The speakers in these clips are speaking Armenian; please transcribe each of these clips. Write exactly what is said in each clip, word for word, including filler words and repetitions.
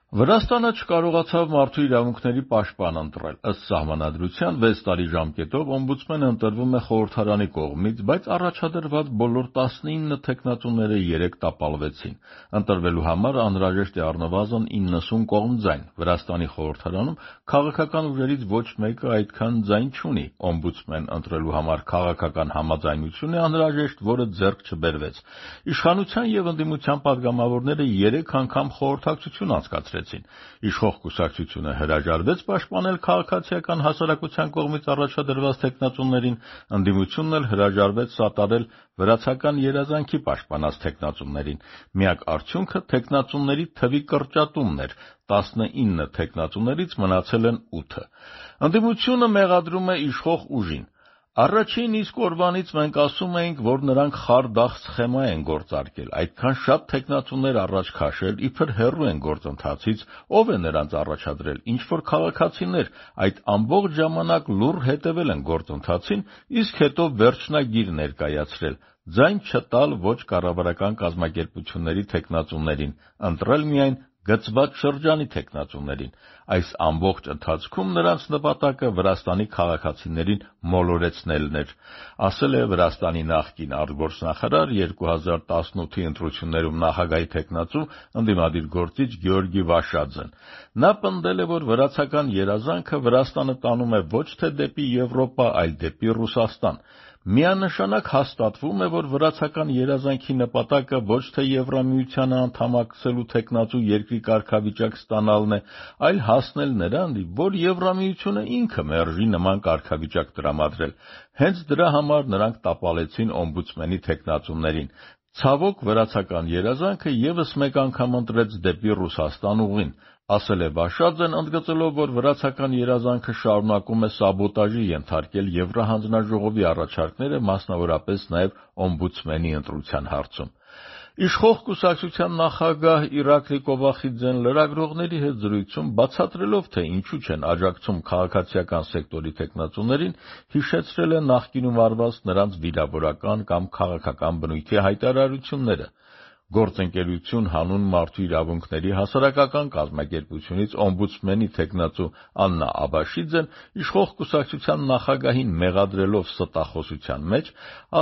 Վրաստանը չկարողացավ մարդու իրավունքների պաշտպան ընտրել։ Ըստ սահմանադրության վեց տարի ժամկետով օմբուդսմենը ընտրվում է խորհրդարանի կողմից, բայց առաջադրված բոլոր տասնինը թեկնածուները երեկ տապալվեցին։ Ընտրվելու համար անհրաժեշտ է առնվազն իննսուն կողմձայն։ Վրաստանի խորհրդարանում քաղաքական ուժերից ոչ մեկը այդքան ձայն չունի։ Օմբուդսմեն ընտրելու համար քաղաքական համաձայնություն է անհրաժեշտ, որը ձեռք չբերվեց։ Իշխանության և ընդդիմության պատգամավորները երեք անգամ խորհրդակցություն անցկացրեցին։ Իշխող կուսակցությունը հրաժարվեց պաշտպանել քաղաքացիական հասարակության կողմից առաջադրված թեկնածուներին, ընդդիմությունն էլ հրաժարվեց սատարել վրացական երազանքի պաշտպանած թեկնածուներին։ Միակ արդյունքը թեկնածուների թվի կրճատումն էր՝ տասնինը թեկնածուներից մնացել են ութը։ Ընդդիմությունը մեղադրում է իշխող ուժին։ Առաջին իսկ օրվանից մենք ասում էինք, որ նրանք խարդախ սխեմա են գործարկել, այդքան շատ թեկնածուներ առաջ քաշել, իբր հեռու են գործընթացից, ով է նրանց առաջադրել, ինչ-որ քաղաքացիներ, այդ ամբողջ ժամանակ լուռ հետևել են գործընթացին, իսկ հետո վերջնագիր ներկայացրել, ձայն չտալ ոչ կառավարական կազմակերպությունների թեկնածուներին, ընտրել միայն գծված շրջանի թեկնածուներին։ Այս ամբողջ ընթացքում նրանց նպատակը Վրաստանի քաղաքացիներին մոլորեցնելն էր, ասել է Վրաստանի նախկին արտգործնախարար, երկու հազար տասնութի ընտրություններում նախագահի թեկնածու, ընդդիմադիր գործիչ Գեորգի Վաշաձեն։ Նա պնդել է, որ վրացական երազանքը Վրաստանը տանում է ոչ թե դեպի Եվրոպա, այլ դեպի Ռուսաստան։ Միանշանակ հաստատվում է, որ վրացական երազանքի նպատակը ոչ թե Եվրամիությանը անդամակցելու թեկնածու երկրի կարգավիճակ ստանալն է, այլ հասնել նրան, որ Եվրամիությունը ինքը մերժի նման կարգավիճակ տրամադրել։ Հենց դրա համար նրանք տապալեցին օմբուդսմենի թեկնածուներին։ Ցավոք, վրացական երազանքը ևս մեկ անգամ ընտրեց դեպի Ռուսաստան ուղին, ասել է Վաշաձեն, ընդգծելով, որ վրացական երազանքը շարունակում է սաբոտաժի ենթարկել Եվրահանձնաժողովի առաջարկները, մասնավորապես նաև օմբուդսմենի ընտրության հարցում։ Իշխող կուսակցության նախագահ Իրակլի Կովախիձեն լրագրողների հետ զրույցում բացատրելով, թե ինչու չեն աջակցում քաղաքացիական սեկտորի թեկնածուներին, հիշեցրել է նախկինում արված նրանց վիրավորական կամ քաղաքական բնույթի հայտարարությունները։ Գործընկերություն հանուն մարդու իրավունքների հասարակական կազմակերպությունից օմբուդսմենի թեկնածու Աննա Աբաշիձեն իշխող կուսակցության նախագահին մեղադրելով ստախոսության մեջ,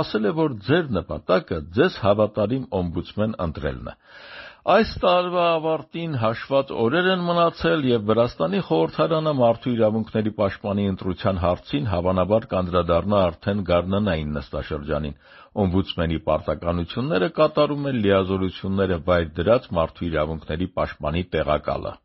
ասել է, որ ձեր նպատակը ձեզ հավատարիմ օմբուդսմեն ընտրելն է։ Այս տարվա ավարտին հաշված օրեր են մնացել, և Վրաստանի խորհրդարանը մարդու իրավունքների պաշտպանի ընտրության հարցին հավանաբար կանդրադառնա արդեն գարնանային նստաշրջանին։ Օմբուդսմենի պարտականությունները կատարում է լիազորությունները վայր դրած մարդու իրավունքների պաշտպանի տեղակալը։